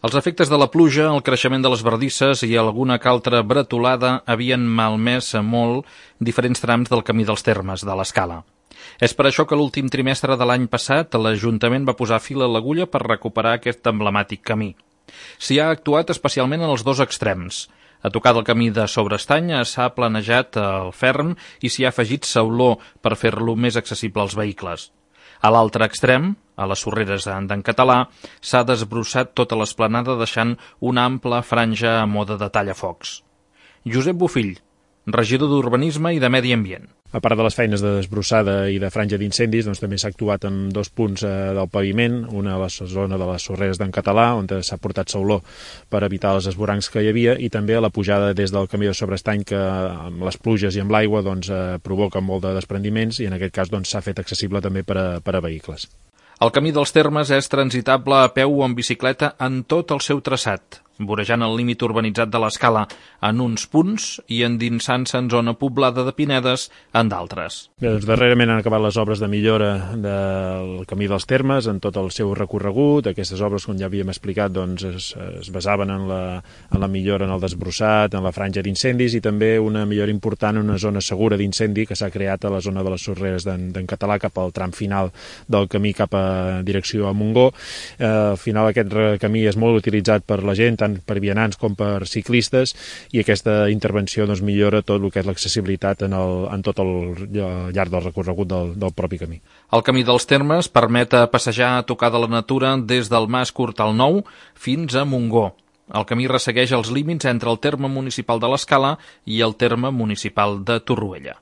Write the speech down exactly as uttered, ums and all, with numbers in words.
Els efectes de la pluja, el creixement de les bardisses i alguna que altra bretolada havien malmès molt diferents trams del camí dels Termes, de l'Escala. És per això que l'últim trimestre de l'any passat l'Ajuntament va posar fil a l'agulla per recuperar aquest emblemàtic camí. S'hi ha actuat especialment en els dos extrems. A tocar del camí de Sobreestany s'ha planejat el ferm i s'hi ha afegit sauló per fer-lo més accessible als vehicles. A l'altre extrem, a les sorreres d'en Català, s'ha desbrossat tota l'esplanada deixant una ampla franja a moda de tallafocs. Josep Bofill, regidor d'Urbanisme i de Medi Ambient. A part de les feines de desbrossada i de franja d'incendis, doncs, també s'ha actuat en dos punts eh, del paviment, una a la zona de les sorreres d'en Català, on s'ha portat sauló per evitar els esvorancs que hi havia, i també a la pujada des del camí de Sobreestany, que amb les pluges i amb l'aigua doncs, eh, provoca molt de desprendiments, i en aquest cas doncs, s'ha fet accessible també per a, per a vehicles. El camí dels Termes és transitable a peu o en bicicleta en tot el seu traçat, vorejant el límit urbanitzat de l'Escala en uns punts i endinsant-se en zona poblada de pinedes en d'altres. Bé, doncs darrerament han acabat les obres de millora del camí dels Termes en tot el seu recorregut. Aquestes obres, com ja havíem explicat, doncs, es, es basaven en la, en la millora en el desbrossat, en la franja d'incendis i també una millora important en una zona segura d'incendi que s'ha creat a la zona de les sorreres d'en Català cap al tram final del camí cap a direcció a Montgó. Eh, al final aquest camí és molt utilitzat per la gent, tant per vianants com per ciclistes, i aquesta intervenció doncs, millora tot el que és l'accessibilitat en, el, en tot el llarg del recorregut del, del propi camí. El camí dels Termes permet passejar a tocar de la natura des del Mas Cortal Nou fins a Montgó. El camí ressegueix els límits entre el terme municipal de l'Escala i el terme municipal de Torroella.